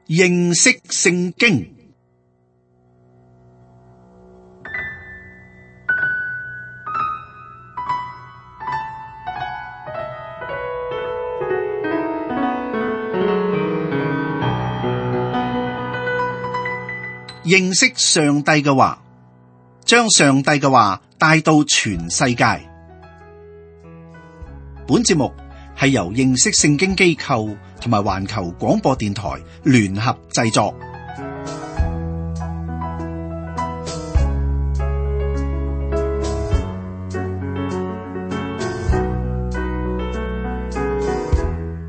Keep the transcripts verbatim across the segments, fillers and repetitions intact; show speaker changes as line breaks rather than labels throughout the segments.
認識聖經。認識上帝嘅話，將上帝嘅話帶到全世界。本節目係由認識聖經機構同埋環球廣播電台聯合製作。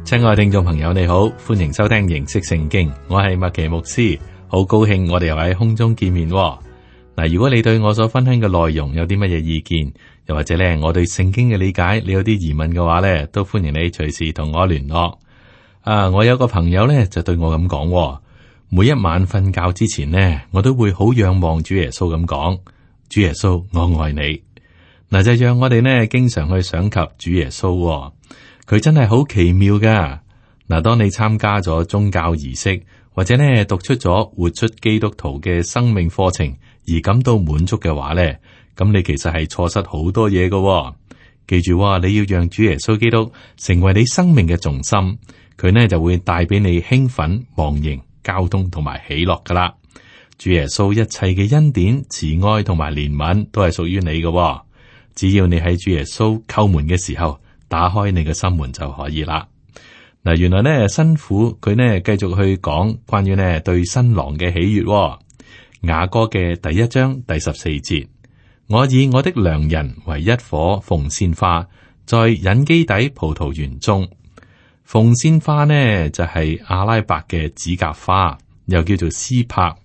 親愛聽眾朋友，你好，歡迎收聽認識聖經，我係麥奇牧師。好高興我哋又喺空中見面喎。嗱，如果你對我所分享嘅內容有啲乜嘢意見，又或者咧我對聖經嘅理解你有啲疑問嘅話咧，都歡迎你隨時同我聯絡。啊，我有個朋友咧就對我咁講喎，每一晚瞓覺之前呢，我都會好仰望主耶穌咁講，主耶穌，我愛你。嗱，就讓我哋呢經常去想及主耶穌喎，佢真係好奇妙噶。嗱，當你參加咗宗教儀式，或者呢讀出咗活出基督徒嘅生命課程而感到滿足嘅話呢，咁你其實係錯失好多嘢㗎喎。記住喎，你要讓主耶穌基督成為你生命嘅重心，佢呢就會帶俾你興奮、忘形、交通同埋喜樂噶啦。主耶穌一切嘅恩典、慈愛同埋憐憫都係屬於你㗎喎。只要你喺主耶穌叩門嘅時候，打開你嘅心門就可以啦。嗱，原來咧新婦佢呢繼續去講關於呢對新郎嘅喜悅，哦。雅歌嘅第一章第十四節，我以我的良人為一棵鳳仙花，在隱基底葡萄園中。鳳仙花呢就係、是、阿拉伯嘅指甲花，又叫做絲柏。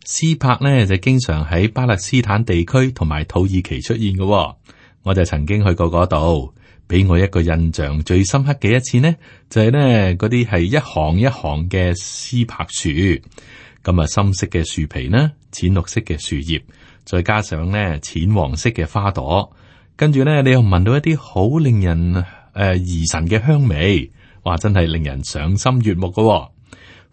絲柏呢就經常喺巴勒斯坦地區同埋土耳其出現嘅，哦。我就曾經去過嗰度。俾我一個印象最深刻嘅一次呢，就係、是、呢嗰啲係一行一行嘅絲柏樹，咁啊深色嘅樹皮呢，淺綠色嘅樹葉，再加上呢淺黃色嘅花朵，跟住呢你又聞到一啲好令人誒、呃、怡神嘅香味，哇！真係令人賞心悅目噶、哦。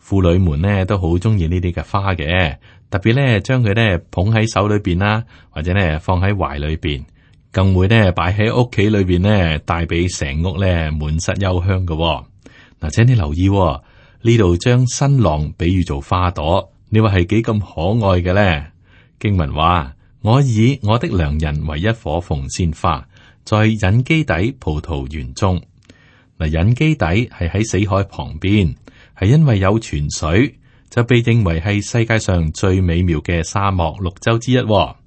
婦女們呢都好中意呢啲嘅花嘅，特別呢將佢呢捧喺手裏邊啦，或者呢放喺懷裏邊。更會呢擺喺屋企裏邊呢，帶俾成屋呢滿室幽香嘅、哦。嗱，請你留意呢度將新郎比喻做花朵，你話係幾咁可愛嘅咧？經文話：我以我的良人為一棵鳳仙花，在隱基底葡萄園中。嗱，隱基底係喺死海旁邊，係因為有泉水，就被認為係世界上最美妙嘅沙漠綠洲之一、哦。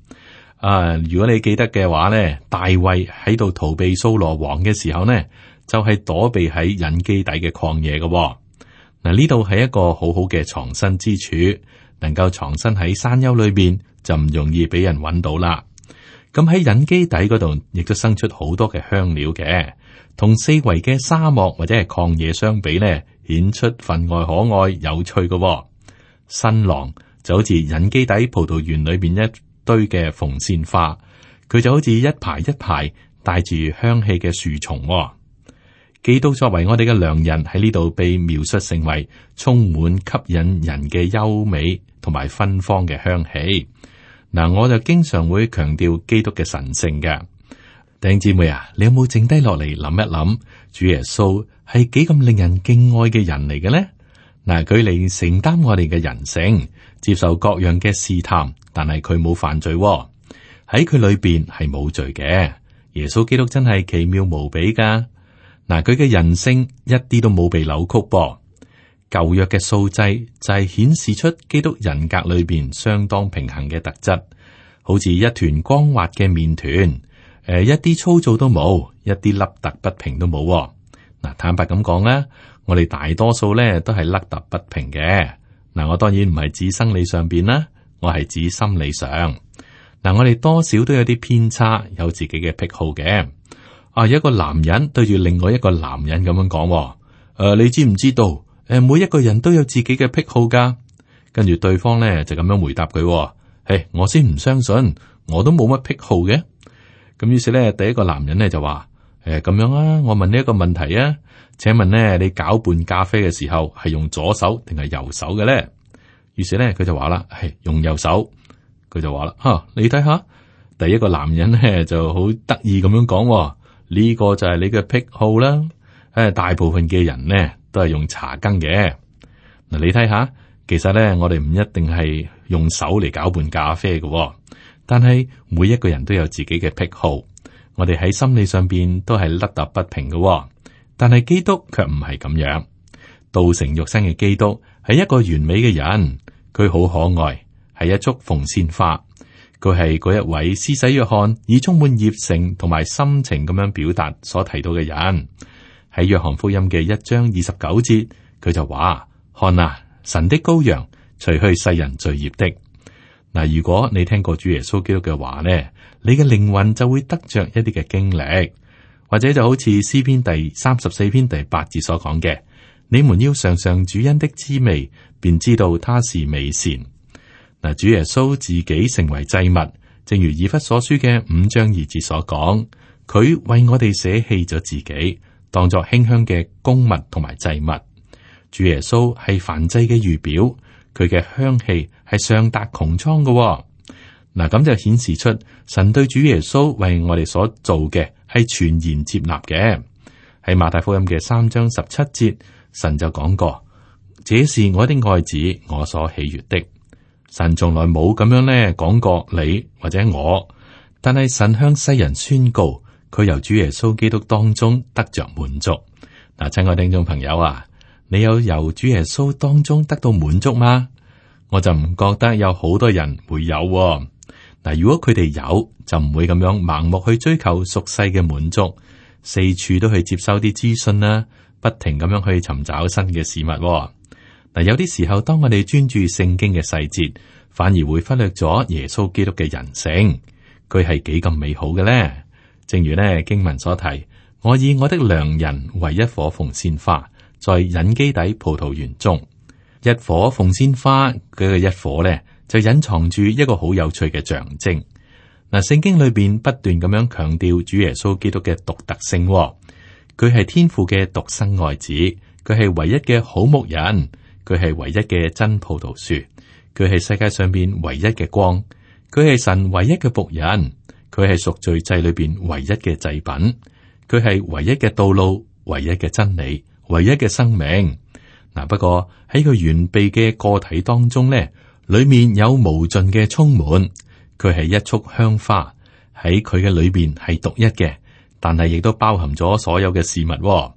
啊！如果你記得嘅話咧，大衛喺度逃避掃羅王嘅時候呢，就係、是、躲避喺隱基底嘅曠野嘅、哦。嗱，呢度係一個好好嘅藏身之處，能夠藏身喺山丘裏邊，就唔容易俾人揾到啦。咁喺隱基底嗰度，亦都生出好多嘅香料嘅，同四圍嘅沙漠或者係曠野相比呢，顯出分外可愛、有趣嘅、哦。新郎就好似隱基底葡萄園裏邊一堆嘅鳳仙花，佢就好似一排一排帶住香氣嘅樹叢、哦。基督作為我哋嘅良人喺呢度被描述成為充滿吸引人嘅優美同埋芬芳嘅香氣。嗱，我就經常會強調基督嘅神聖嘅。弟兄姊妹啊，你有冇靜低落嚟諗一諗，主耶穌係幾咁令人敬愛嘅人嚟嘅呢？嗱，佢嚟承擔我哋嘅人性，接受各樣嘅試探。但係佢冇犯罪喎、哦，喺佢裏邊係冇罪嘅。耶穌基督真係奇妙無比噶。嗱，佢嘅人性一啲都冇被扭曲噃。舊約嘅素祭就係顯示出基督人格裏邊相當平衡嘅特質，好似一團光滑嘅麵團，誒、呃，一啲粗糙都冇，一啲凹凸不平都冇、哦。嗱，坦白咁講啦，我哋大多數咧都係凹凸不平嘅。嗱，我當然唔係指生理上邊啦。我係指心理上，嗱，我哋多少都有啲偏差，有自己嘅癖好嘅。啊，有一個男人對住另外一個男人咁樣講，誒、呃，你知唔知道？誒，每一個人都有自己嘅癖好噶。跟住對方咧就咁樣回答佢，誒，我先唔相信，我都冇乜癖好嘅。咁於是咧，第一個男人咧就話：誒，咁樣啊，我問你一個問題啊，請問呢，你攪拌咖啡嘅時候係用左手定係右手嘅咧？於是咧，佢就話啦，係用右手。佢就話啦，吓、啊、你睇下，第一個男人咧就好得意咁樣講，呢、這個就係你嘅癖好啦。誒，大部分嘅人呢都係用茶羹嘅。嗱，你睇下，其實咧我哋唔一定係用手嚟攪拌咖啡嘅，但係每一個人都有自己嘅癖好。我哋喺心理上邊都係凹凸不平嘅，但係基督卻唔係咁樣。道成肉身嘅基督係一個完美嘅人，佢好可愛，係一束鳳仙花。佢係嗰一位施洗約翰以充滿熱誠同埋心情咁樣表達所提到嘅人。喺約翰福音嘅一章二十九節，佢就話：看啊，神的羔羊，除去世人罪孽的。嗱，如果你聽過主耶穌基督嘅話呢，你嘅靈魂就會得着一啲嘅經歷，或者就好似詩篇第三十四篇第八節所講嘅：你們要嘗嘗主恩的滋味，便知道他是美善。嗱，主耶穌自己成為祭物，正如以弗所書嘅五章二節所講，佢為我哋捨棄咗自己，當作馨香嘅供物同埋祭物。主耶穌係燔祭嘅預表，佢嘅香氣係上達穹蒼嘅。嗱，咁就顯示出神對主耶穌為我哋所做嘅係全然接納嘅。喺馬太福音嘅三章十七節，神就講過：這是我的愛子，我所喜悅的。神從來冇咁樣咧講過你或者我，但係神向世人宣告，佢由主耶穌基督當中得着滿足。嗱，親愛聽眾朋友啊，你有由主耶穌當中得到滿足嗎？我就唔覺得有好多人會有喎。嗱，如果佢哋有，就唔會咁樣盲目去追求俗世嘅滿足，四處都去接收啲資訊啦，不停咁樣去尋找新嘅事物喎。嗱，有啲時候，當我哋專注聖經嘅細節，反而會忽略咗耶穌基督嘅人性，佢係幾咁美好嘅咧。正如咧經文所提，我以我的良人為一顆鳳仙花，在隱基底葡萄園中。一顆鳳仙花，佢嘅一顆咧就隱藏住一個好有趣嘅象徵。嗱，聖經裏邊不斷咁樣強調主耶穌基督嘅獨特性，佢係天父嘅獨生愛子，佢係唯一嘅好牧人。佢係唯一嘅真葡萄樹，佢係世界上邊唯一嘅光，佢係神唯一嘅僕人，佢係贖罪祭裏邊唯一嘅祭品，佢係唯一嘅道路，唯一嘅真理，唯一嘅生命。嗱，不過喺佢完備嘅個體當中咧，裏面有無盡嘅充滿，佢係一束香花，喺佢嘅裏邊係獨一嘅，但係亦都包含咗所有嘅事物。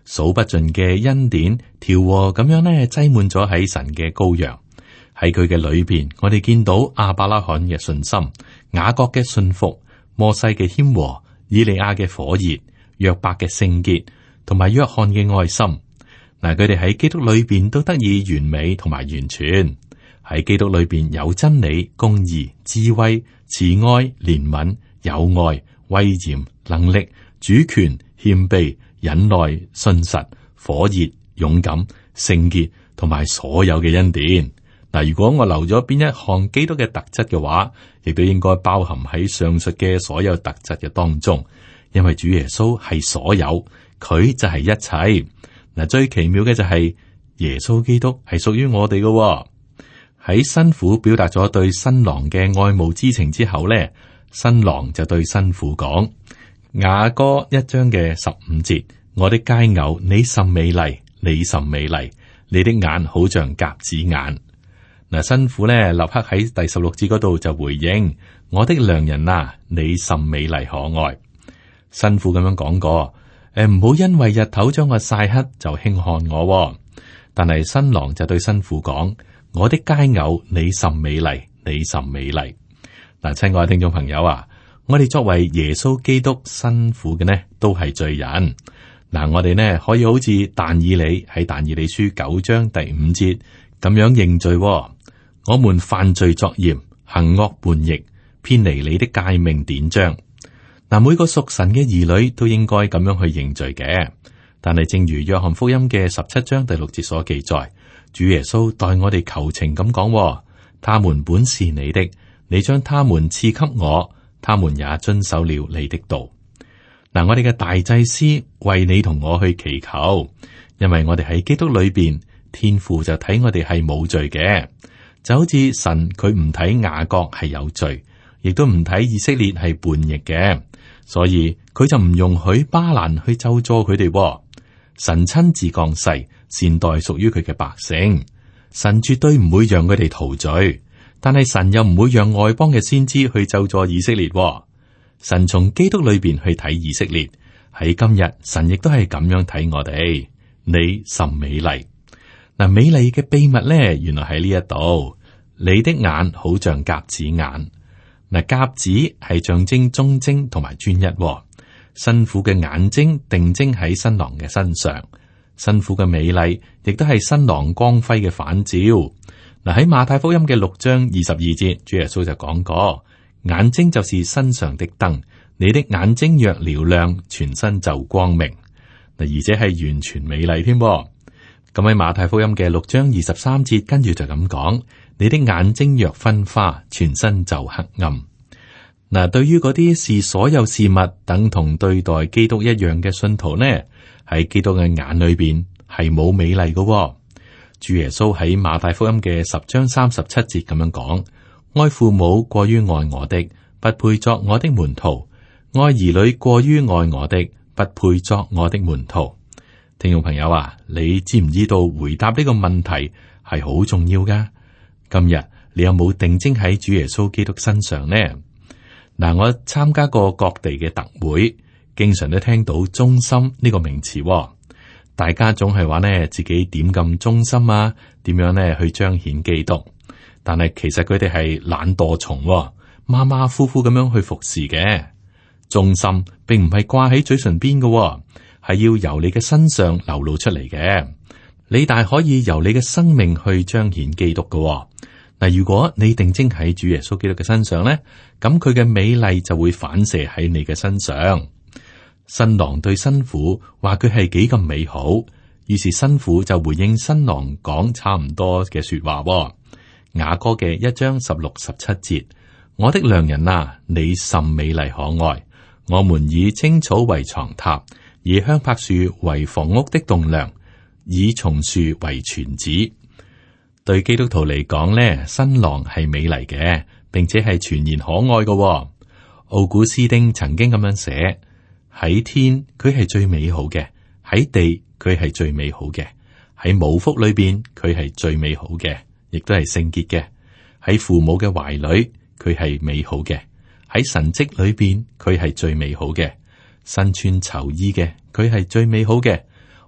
數不盡嘅恩典調和咁樣咧，擠滿咗喺神嘅羔羊。喺佢嘅裏邊，我哋見到亞伯拉罕嘅信心、雅各嘅信服、摩西嘅謙和、以利亞嘅火熱、約伯嘅聖潔，同埋約翰嘅愛心。嗱，佢哋喺基督裏邊都得以完美同埋完全。喺基督裏邊有真理、公義、智慧、慈愛、憐憫、友愛、威嚴、能力、主權、謙卑、忍耐、信實、火熱、勇敢、聖潔，同埋所有嘅恩典。嗱，如果我留咗邊一項基督嘅特質嘅話，亦都應該包含喺上述嘅所有特質嘅當中。因為主耶穌係所有，佢就係一切。嗱，最奇妙嘅就係耶穌基督係屬於我哋嘅。喺新婦表達咗對新郎嘅愛慕之情之後咧，新郎就對新婦講。雅歌一章嘅十五節，我的佳偶，你甚美麗，你甚美麗，你的眼好像鴿子眼。嗱，新婦咧立刻喺第十六節嗰度就回應，我的良人啊，你甚美麗可愛。新婦咁樣講過，誒，唔好因為日頭將我曬黑就輕看我。但係新郎就對新婦講，我的佳偶，你甚美麗，你甚美麗。嗱，親愛嘅聽眾朋友啊，我哋作為耶穌基督新婦嘅呢，都係罪人。嗱，我哋呢可以好似但以理喺但以理書九章第五節咁樣認罪。我們犯罪作孽，行惡叛逆，偏離你的誡命典章。嗱，每個屬神嘅兒女都應該咁樣去認罪嘅。但係正如約翰福音嘅十七章第六節所記載，主耶穌代我哋求情咁講，他們本是你的，你將他們賜給我，他們也遵守了你的道。嗱，我哋嘅大祭司為你同我去祈求，因為我哋喺基督裏邊，天父就睇我哋係冇罪嘅，就好似神佢唔睇雅各係有罪，亦都唔睇以色列係叛逆嘅，所以佢就唔容許巴蘭去咒詛佢哋。神親自降世，善待屬於佢嘅百姓。神絕對唔會讓佢哋逃罪，但係神又唔會讓外邦嘅先知去咒詛以色列。神從基督裏邊去睇以色列，喺今日神亦都係咁樣睇我哋。你甚美麗。嗱，美麗嘅秘密咧，原來喺呢一度。你的眼好像鴿子眼。嗱，鴿子係象徵忠貞同埋專一。新婦嘅眼睛定睛喺新郎嘅身上，新婦嘅美麗亦都係新郎光輝嘅反照。嗱，喺馬太福音嘅六章二十二節，主耶穌就講過：眼睛就是身上的燈，你的眼睛若嘹亮，全身就光明。嗱，而且係完全美麗添。咁喺馬太福音嘅六章二十三節，跟住就咁講：你的眼睛若昏花，全身就黑暗。嗱，對於嗰啲視所有事物等同對待基督一樣嘅信徒呢，喺基督嘅眼裏邊係冇美麗嘅。主耶穌喺馬太福音嘅十章三十七節咁樣講：愛父母過於愛我的，不配作我的門徒；愛兒女過於愛我的，不配作我的門徒。聽眾朋友啊，你知唔知道回答呢個問題係好重要噶？今日你有冇定睛喺主耶穌基督身上呢？嗱，我參加過各地嘅特會，經常都聽到忠心呢個名詞。大家總係話呢，自己點咁忠心啊？點樣呢去彰顯基督？但係其實佢哋係懶惰蟲，馬馬虎虎咁樣去服侍嘅。忠心並唔係掛喺嘴唇邊嘅，係要由你嘅身上流露出嚟嘅。你大可以由你嘅生命去彰顯基督嘅。嗱，如果你定睛喺主耶穌基督嘅身上咧，咁佢嘅美麗就會反射喺你嘅身上。新郎對新婦話佢係幾咁美好，於是新婦就回應新郎講差唔多嘅說話。雅歌嘅一章十六十七節：我的良人啊，你甚美麗可愛。我們以青草為床榻，以香柏樹為房屋的棟梁，以松樹為椽子。對基督徒嚟講咧，新郎係美麗嘅，並且係全然可愛嘅。奧古斯丁曾經咁樣寫：喺天佢係最美好嘅，喺地佢係最美好嘅，喺母腹裏邊佢係最美好嘅，亦都係聖潔嘅。喺父母嘅懷裏佢係美好嘅，喺神蹟裏邊佢係最美好嘅。身穿囚衣嘅佢係最美好嘅，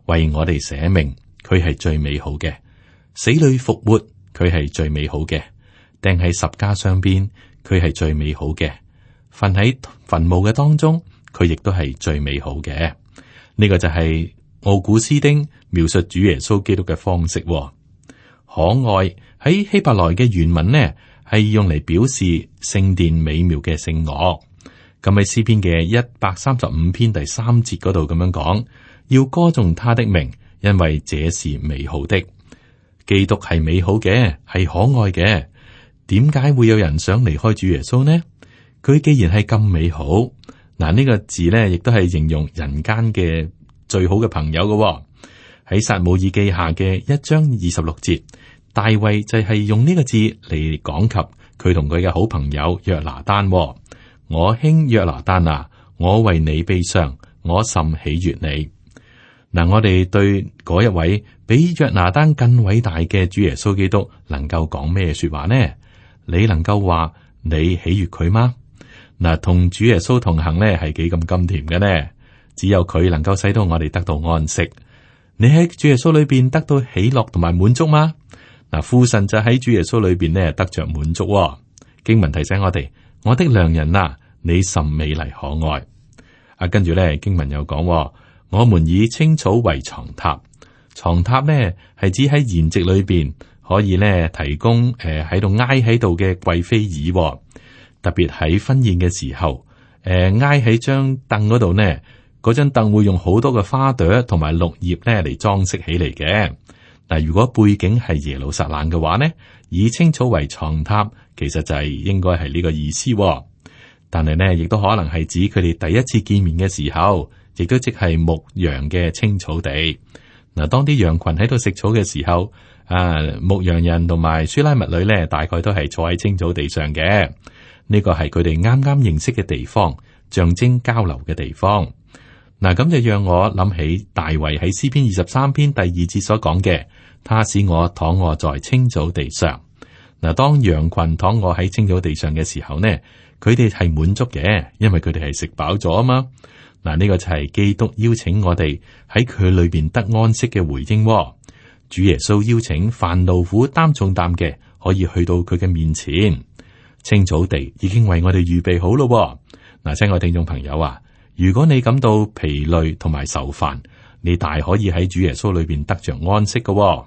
為我哋捨命佢係最美好嘅。死裏復活，佢係最美好嘅；釘喺十架上邊，佢係最美好嘅；瞓喺墳墓嘅當中，佢亦都係最美好嘅。呢、這個就係奧古斯丁描述主耶穌基督嘅方式。可愛喺希伯來嘅原文呢，係用嚟表示聖殿美妙嘅聖樂。咁喺詩篇嘅一百三十五篇第三節嗰度咁樣講：要歌頌他的名，因為這是美好的。基督係美好嘅，係可愛嘅。點解會有人想離開主耶穌呢？佢既然係咁美好，嗱、這、呢個字咧，亦都係形容人間嘅最好嘅朋友嘅。喺撒母耳記下嘅一章二十六節，大衛就係用呢個字嚟講及佢同佢嘅好朋友約拿單。我兄約拿單啊，我為你悲傷，我甚喜悅你。嗱，我哋對嗰一位比約拿單更偉大嘅主耶穌基督，能夠講咩說話呢？你能夠話你喜悅佢嗎？嗱，同主耶穌同行咧，係幾咁甘甜嘅呢？只有佢能夠使到我哋得到安息。你喺主耶穌裏邊得到喜樂同埋滿足嗎？嗱，父神就喺主耶穌裏邊咧得着滿足。經文提醒我哋：我的良人啊，你甚美麗可愛。啊，跟住咧經文又講。我們以青草為床榻，床榻呢係指喺筵席裏邊可以咧提供誒喺度挨喺度嘅貴妃椅，特別喺婚宴嘅時候，誒挨喺張凳嗰度呢，嗰張凳會用好多嘅花朵同埋綠葉咧嚟裝飾起嚟嘅。嗱，如果背景係耶路撒冷嘅話呢，以青草為床榻，其實就係應該係呢個意思。但係呢，亦都可能係指佢哋第一次見面嘅時候，亦都即係牧羊嘅青草地。嗱，當啲羊群喺度食草嘅時候，啊，牧羊人同埋書拉密女呢，大概都係坐喺青草地上嘅。呢個係佢哋啱啱認識嘅地方，象徵交流嘅地方。嗱，咁就讓我諗起大衛喺詩篇二十三篇第二節所講嘅，他使我躺臥在青草地上。嗱，當羊群躺臥喺青草地上嘅時候呢，佢哋係滿足嘅，因為佢哋係食飽咗啊嘛。嗱，呢個就係基督邀請我哋喺佢裏邊得安息嘅回應。主耶穌邀請凡勞苦擔重擔嘅，可以去到佢嘅面前。青草地已經為我哋預備好咯。嗱，親愛聽眾朋友啊，如果你感到疲累同埋愁煩，你大可以喺主耶穌裏邊得着安息嘅。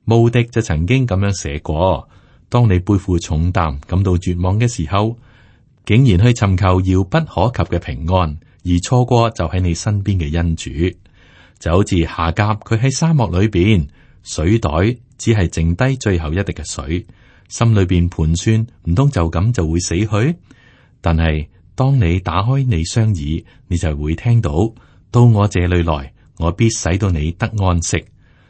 慕迪就曾經咁樣寫過：當你背負重擔，感到絕望嘅時候，竟然去尋求遙不可及嘅平安，而錯過就喺你身邊嘅恩主。就好似夏甲佢喺沙漠裏邊，水袋只係剩低最後一滴嘅水，心裏邊盤算，唔通就咁就會死去？但係當你打開你雙耳，你就會聽到，到我這裏來，我必使到你得安息。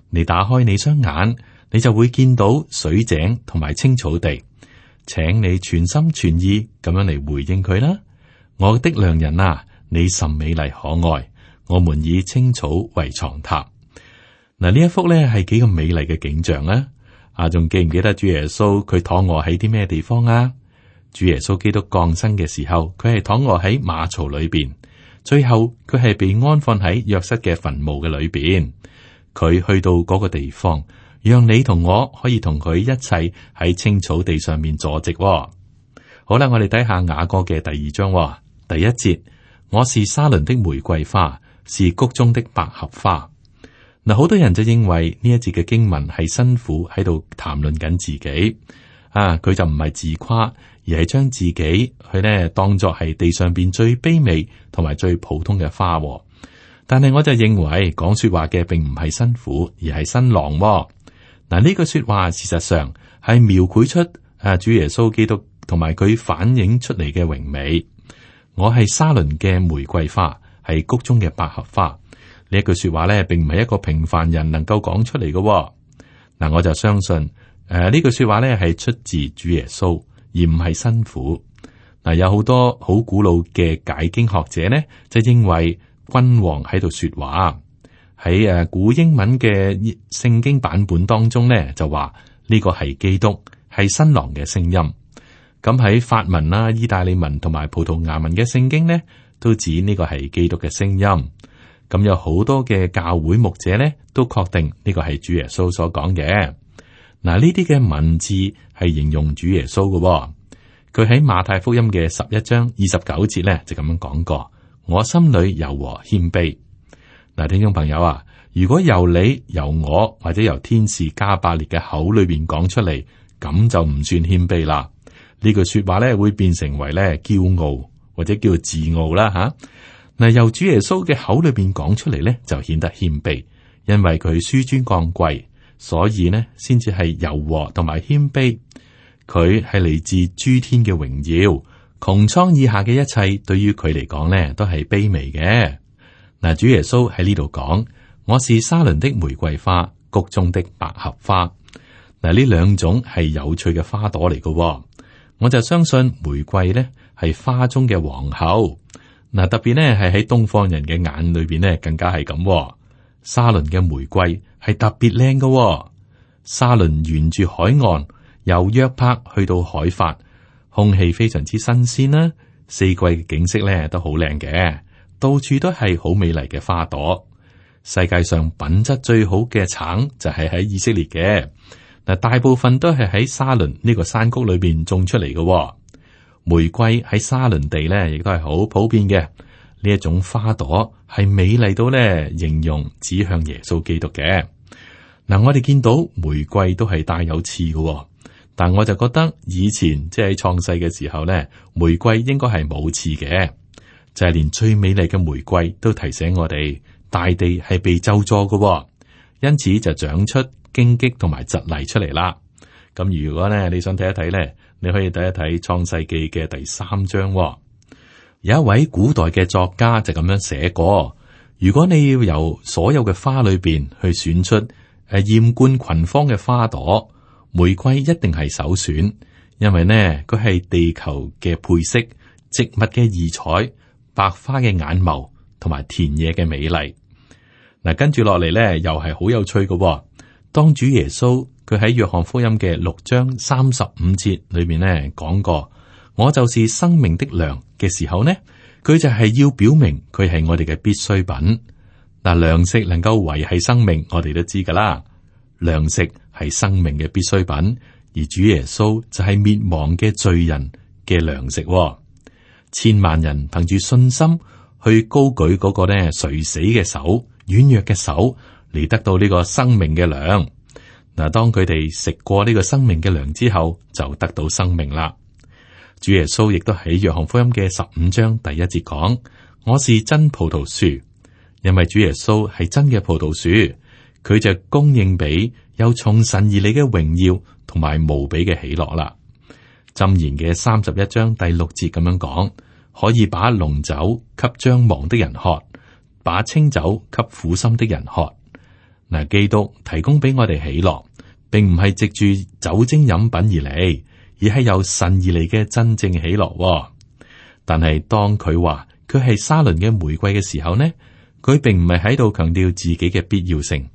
你打開你雙眼，你就會見到水井同埋青草地，請你全心全意咁樣嚟回應佢啦。我的良人啊，你甚美麗可愛，我們以青草為床榻。嗱，呢一幅咧係幾咁美麗嘅景象啊！啊，仲記唔記得主耶穌佢躺臥喺啲咩地方啊？主耶穌基督降生嘅時候，佢係躺臥喺馬槽裏邊，最後佢係被安放喺約瑟嘅墳墓嘅裏邊。佢去到嗰個地方，讓你同我可以同佢一齊喺青草地上面坐席。好啦，我哋睇下雅歌嘅第二章第一節：我是沙崙的玫瑰花，是谷中的百合花。嗱，好多人就認為呢一節嘅經文係辛苦喺度談論緊自己啊，佢就唔係自誇，而係將自己佢呢當作係地上邊最卑微同埋最普通嘅花。但係我就認為講說話嘅並唔係辛苦，而係新郎。嗱，呢句說話事實上係描繪出啊主耶穌基督同埋佢反映出嚟嘅榮美。我係沙崙嘅玫瑰花，係谷中嘅百合花。呢一句說話咧，並唔係一個平凡人能夠講出嚟嘅。嗱，我就相信誒呢、呃、句說話咧係出自主耶穌，而唔係辛苦。嗱、呃，有好多好古老嘅解經學者呢，就認為君王喺度說話。喺誒古英文嘅聖經版本當中呢，就話呢個係基督，係新郎嘅聲音。咁喺法文啦、意大利文同埋葡萄牙文嘅聖經呢，都指呢個係基督嘅聲音。咁有好多嘅教會牧者咧，都確定呢個係主耶穌所講嘅。嗱，呢啲嘅文字係形容主耶穌嘅。佢喺馬太福音嘅十一章二十九節咧，就咁樣講過：我心裏柔和謙卑。嗱，聽眾朋友啊，如果由你、由我或者由天使加百列嘅口裏邊講出嚟，咁就唔算謙卑啦。呢句說話咧會變成為咧驕傲或者叫自傲啦吓。嗱，由主耶穌嘅口裏邊講出嚟咧，就顯得謙卑，因為佢紆尊降貴，所以呢先至係柔和同埋謙卑。佢係嚟自諸天嘅榮耀，穹蒼以下嘅一切對於佢嚟講呢都係卑微嘅。嗱，主耶穌喺呢度講：我是沙崙的玫瑰花，谷中的百合花。嗱，呢兩種係有趣嘅花朵嚟嘅，我就相信玫瑰呢係花中嘅皇后。嗱，特別呢係喺東方人嘅眼裏邊呢，更加係咁。沙崙嘅玫瑰係特別靚嘅。沙崙沿住海岸，由約帕去到海法，空氣非常之新鮮啦。四季嘅景色咧都好靚嘅，到處都係好美麗嘅花朵。世界上品質最好嘅橙就係喺以色列嘅。嗱，大部分都係喺沙崙呢個山谷裏邊種出嚟嘅。玫瑰喺沙崙地咧，亦都係好普遍嘅。呢一種花朵係美麗到咧，形容指向耶穌基督嘅。嗱，我哋見到玫瑰都係帶有刺嘅，但我就覺得以前即係喺創世嘅時候咧，玫瑰應該係冇刺嘅。就係連最美麗嘅玫瑰都提醒我哋，大地係被咒詛嘅，因此就長出荊棘同埋蒺藜出嚟啦。咁如果咧你想睇一睇咧，你可以睇一睇創世記嘅第三章。有一位古代嘅作家就咁樣寫過：如果你要由所有嘅花裏邊去選出誒艷冠群芳嘅花朵，玫瑰一定係首選，因為呢佢係地球嘅配色、植物嘅異彩、白花嘅眼眸同埋田野嘅美麗。嗱，跟住落嚟咧，又係好有趣嘅。當主耶穌佢喺約翰福音嘅六章三十五節裏面咧講過，我就是生命的糧嘅時候呢，佢就係要表明佢係我哋嘅必需品。嗱，糧食能夠維繫生命，我哋都知噶啦。糧食係生命嘅必需品，而主耶穌就係滅亡嘅罪人嘅糧食。千萬人憑住信心去高舉嗰個呢垂死嘅手、軟弱嘅手嚟得到呢個生命嘅糧。嗱，當佢哋食過呢個生命嘅糧之後，就得到生命啦。主耶穌亦都喺約翰福音嘅十五章第一節講：我是真葡萄樹，因為主耶穌係真嘅葡萄樹，佢就供應俾有從神而嚟嘅榮耀同埋無比嘅喜樂啦。箴言嘅三十一章第六節咁樣講：可以把濃酒給將亡的人喝，把清酒給苦心的人喝。嗱，基督提供俾我哋喜樂，並唔係藉住酒精飲品而嚟，而係由神而嚟嘅真正喜樂。但係當佢話佢係沙崙嘅玫瑰嘅時候呢，佢並唔係喺度強調自己嘅必要性，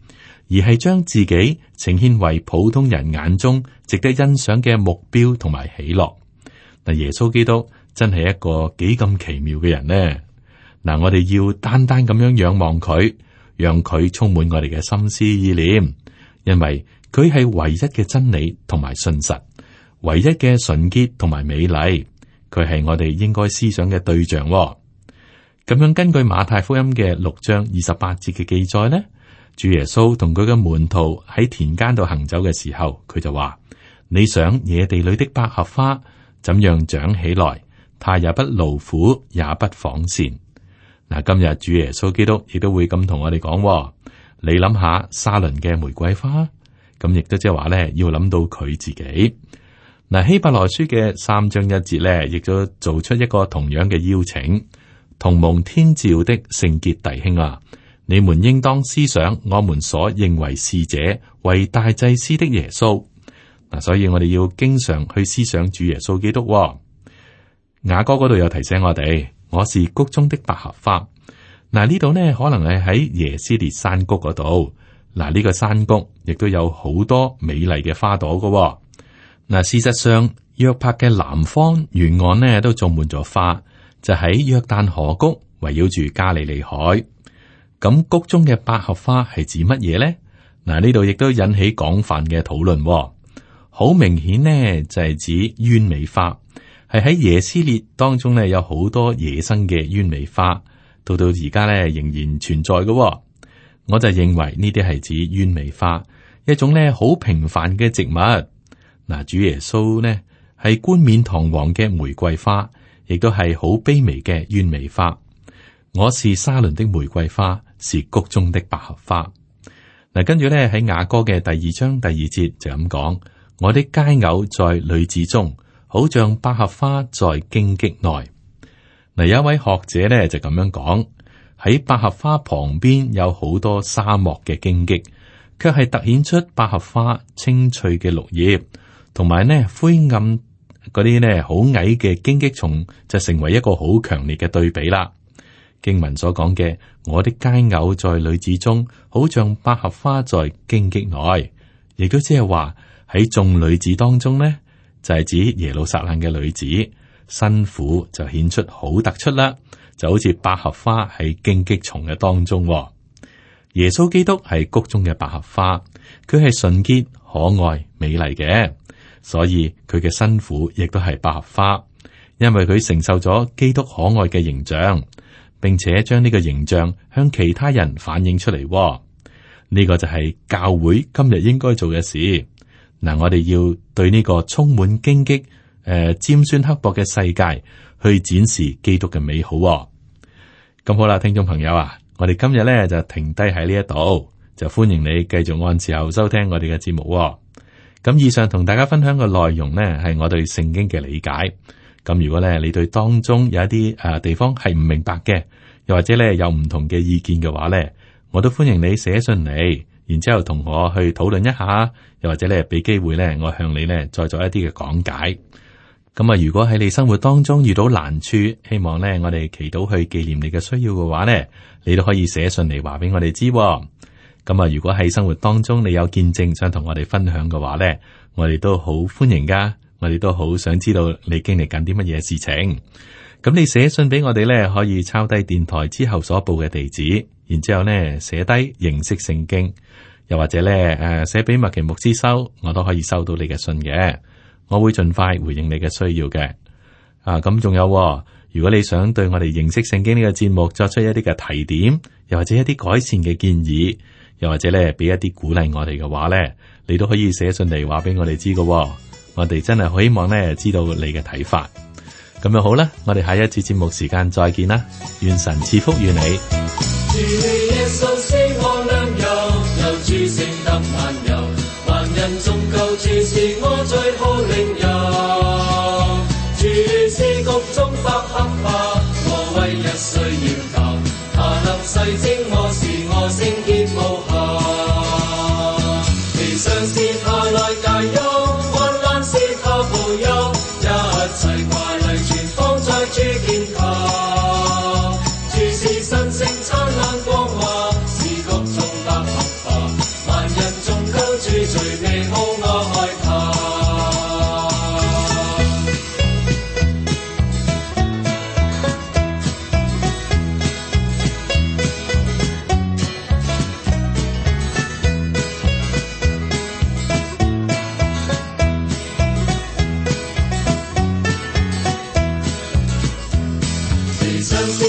而係將自己呈現為普通人眼中值得欣賞嘅目標同埋喜樂。嗱，耶穌基督真係一個幾咁奇妙嘅人呢？嗱，我哋要單單咁樣仰望佢，讓佢充滿我哋嘅心思意念，因為佢係唯一嘅真理同埋信實，唯一嘅純潔同埋美麗，佢係我哋應該思想嘅對象。咁樣根據馬太福音嘅六章二十八節嘅記載呢，主耶穌同佢嘅門徒喺田間度行走嘅時候，佢就話：你想野地裏的百合花怎樣長起來，它也不勞苦，也不紡線。嗱，今日主耶穌基督亦都會咁同我哋講，你諗下沙崙嘅玫瑰花，咁亦都即係話咧，要諗到佢自己。嗱，希伯來書嘅三章一節咧，亦都做出一個同樣嘅邀請，同蒙天召的聖潔弟兄啊，你們應當思想我們所認為是者為大祭司的耶穌。嗱，所以我哋要經常去思想主耶穌基督。雅歌嗰度有提醒我哋。我是谷中的百合花。嗱，呢度呢，可能係喺耶斯列山谷嗰度。嗱，呢個山谷亦都有好多美麗嘅花朵噶。嗱，事實上約帕嘅南方沿岸呢都種滿咗花，就喺約旦河谷圍繞住加利利海。咁谷中嘅百合花係指乜嘢呢？嗱，呢度亦都引起廣泛嘅討論。好明顯呢，就係指鳶尾花。係喺耶斯列當中咧，有好多野生嘅鳶尾花，到到而家咧仍然存在嘅。我就認為呢啲係指鳶尾花，一種咧好平凡嘅植物。嗱，主耶穌呢係冠冕堂皇嘅玫瑰花，亦都係好卑微嘅鳶尾花。我是沙崙的玫瑰花，是谷中的百合花。嗱，跟住咧喺雅歌嘅第二章第二節就咁講：我的佳偶在女子中，好像百合花在荊棘內。嗱，有一位學者咧就咁樣講：喺百合花旁邊有好多沙漠嘅荊棘，卻係凸顯出百合花青翠嘅綠葉，同埋呢灰暗嗰啲呢好矮嘅荊棘叢，就成為一個好強烈嘅對比啦。經文所講嘅我的佳偶在女子中，好像百合花在荊棘內，亦都即係話喺眾女子當中呢，就係指耶路撒冷嘅女子，新婦就顯出好突出啦，就好似百合花喺荊棘叢嘅當中。耶穌基督係谷中嘅百合花，佢係純潔、可愛、美麗嘅，所以佢嘅新婦亦都係百合花，因為佢承受咗基督可愛嘅形象，並且將呢個形象向其他人反映出嚟。呢個就係教會今日應該做嘅事。嗱，我哋要對呢個充滿荊棘、誒、呃、尖酸刻薄嘅世界去展示基督嘅美好。咁好啦，聽眾朋友啊，我哋今日咧就停低喺呢一度，就歡迎你繼續按時候收聽我哋嘅節目。咁以上同大家分享嘅內容呢，係我對聖經嘅理解。咁如果咧你對當中有一啲誒地方係唔明白嘅，又或者咧有唔同嘅意見嘅話咧，我都歡迎你寫信嚟，然之後同我去討論一下，又或者咧俾機會咧我向你咧再做一啲嘅講解。咁啊，如果喺你生活當中遇到難處，希望咧我哋祈禱去紀念你嘅需要嘅話咧，你都可以寫信嚟話俾我哋知。咁啊，如果喺生活當中你有見證想同我哋分享嘅話咧，我哋都好歡迎噶，我哋都好想知道你經歷緊啲乜嘢事情。咁你寫信俾我哋咧，可以抄低電台之後所報嘅地址，然之後咧寫低認識聖經，又或者咧誒寫俾麥奇牧師收，我都可以收到你嘅信嘅。我會盡快回應你嘅需要嘅。啊，咁仲有，如果你想對我哋認識聖經呢個節目作出一啲嘅提點，又或者一啲改善嘅建議，又或者咧俾一啲鼓勵我哋嘅話咧，你都可以寫信嚟話俾我哋知嘅。我哋真係好希望咧知道你嘅睇法。咁樣好啦，我哋下一次節目時間再見啦，願神賜福與你。
人縱舊處是我最好領袖，處事局中不黑化，我為日需要求，他能細精我是我聖潔無瑕，其上是他來解憂，患難是他保佑，一切華麗全放在主肩頭，處事神聖燦爛光華，是局中不黑化，萬人縱舊處最美好我愛他。其上是